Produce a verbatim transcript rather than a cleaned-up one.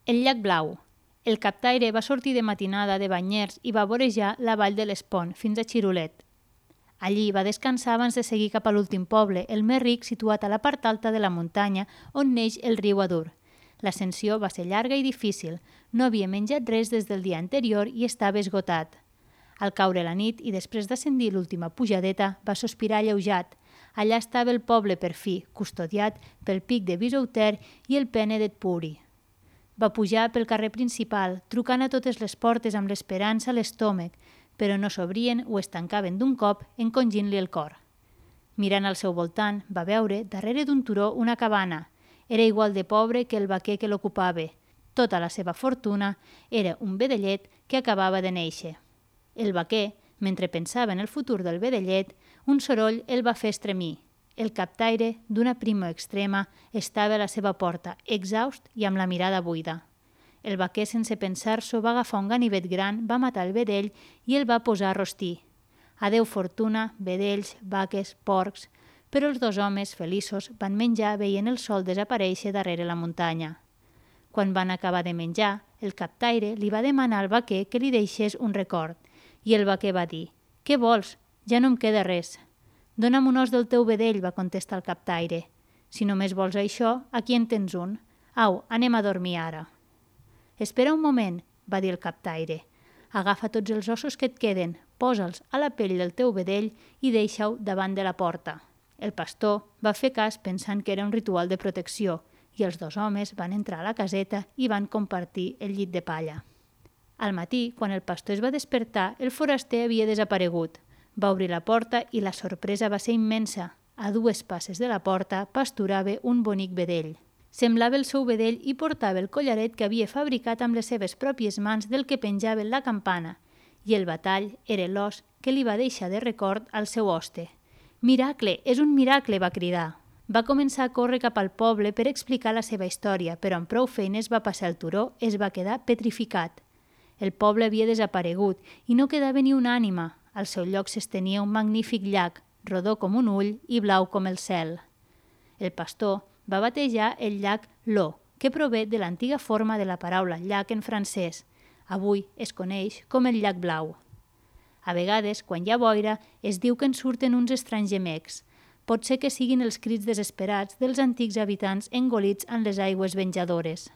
El llac Blau. El captaire va sortir de matinada de Banyers i va vorejar la vall de l'Espont fins a Xirulet. Allí va descansar abans de seguir cap a l'últim poble, el més ric situat a la part alta de la muntanya on neix el riu Adur. L'ascensió va ser llarga i difícil, no havia menjat res des del dia anterior i estava esgotat. Al caure la nit i després d'ascendir l'última pujadeta, va sospirar alleujat. Allà estava el poble per fi, custodiat pel pic de Bisouter i el pene d'Etpuri. Va pujar pel carrer principal, trucant a totes les portes amb l'esperança a l'estómac, però no s'obrien o es tancaven d'un cop, encongint-li el cor. Mirant al seu voltant, va veure, darrere d'un turó, una cabana. Era igual de pobre que el vaquer que l'ocupava. Tota la seva fortuna era un vedellet que acabava de néixer. El vaquer, mentre pensava en el futur del vedellet, un soroll el va fer estremir. El captaire, d'una primo extrema, estava a la seva porta, exhaust i amb la mirada buida. El vaquer, sense pensar-s'ho, va agafar un ganivet gran, va matar el vedell i el va posar a rostir. Adeu fortuna, vedells, vaques, porcs... Però els dos homes, feliços, van menjar veient el sol desaparèixer darrere la muntanya. Quan van acabar de menjar, el captaire li va demanar al vaquer que li deixés un record, i el vaquer va dir: «Què vols? Ja no em queda res». «Dóna'm un os del teu vedell», va contestar el captaire. «Si només vols això, aquí en tens un. Au, anem a dormir ara». «Espera un moment», va dir el captaire. «Agafa tots els ossos que et queden, posa'ls a la pell del teu vedell i deixa-ho davant de la porta». El pastor va fer cas pensant que era un ritual de protecció i els dos homes van entrar a la caseta i van compartir el llit de palla. Al matí, quan el pastor es va despertar, el foraster havia desaparegut. Va obrir la porta i la sorpresa va ser immensa. A dues passes de la porta pasturava un bonic vedell. Semblava el seu vedell i portava el collaret que havia fabricat amb les seves pròpies mans del que penjava en la campana, i el batall era l'os que li va deixar de record al seu hoste. «Miracle! És un miracle!», va cridar. Va començar a córrer cap al poble per explicar la seva història, però amb prou feines va passar el turó, es va quedar petrificat. El poble havia desaparegut i no quedava ni una ànima. Al seu lloc s'estenia un magnífic llac, rodó com un ull i blau com el cel. El pastor va batejar el llac Lo, que prové de l'antiga forma de la paraula llac en francès. Avui es coneix com el llac Blau. A vegades, quan hi ha boira, es diu que en surten uns estranys gemecs. Pot ser que siguin els crits desesperats dels antics habitants engolits en les aigües venjadores.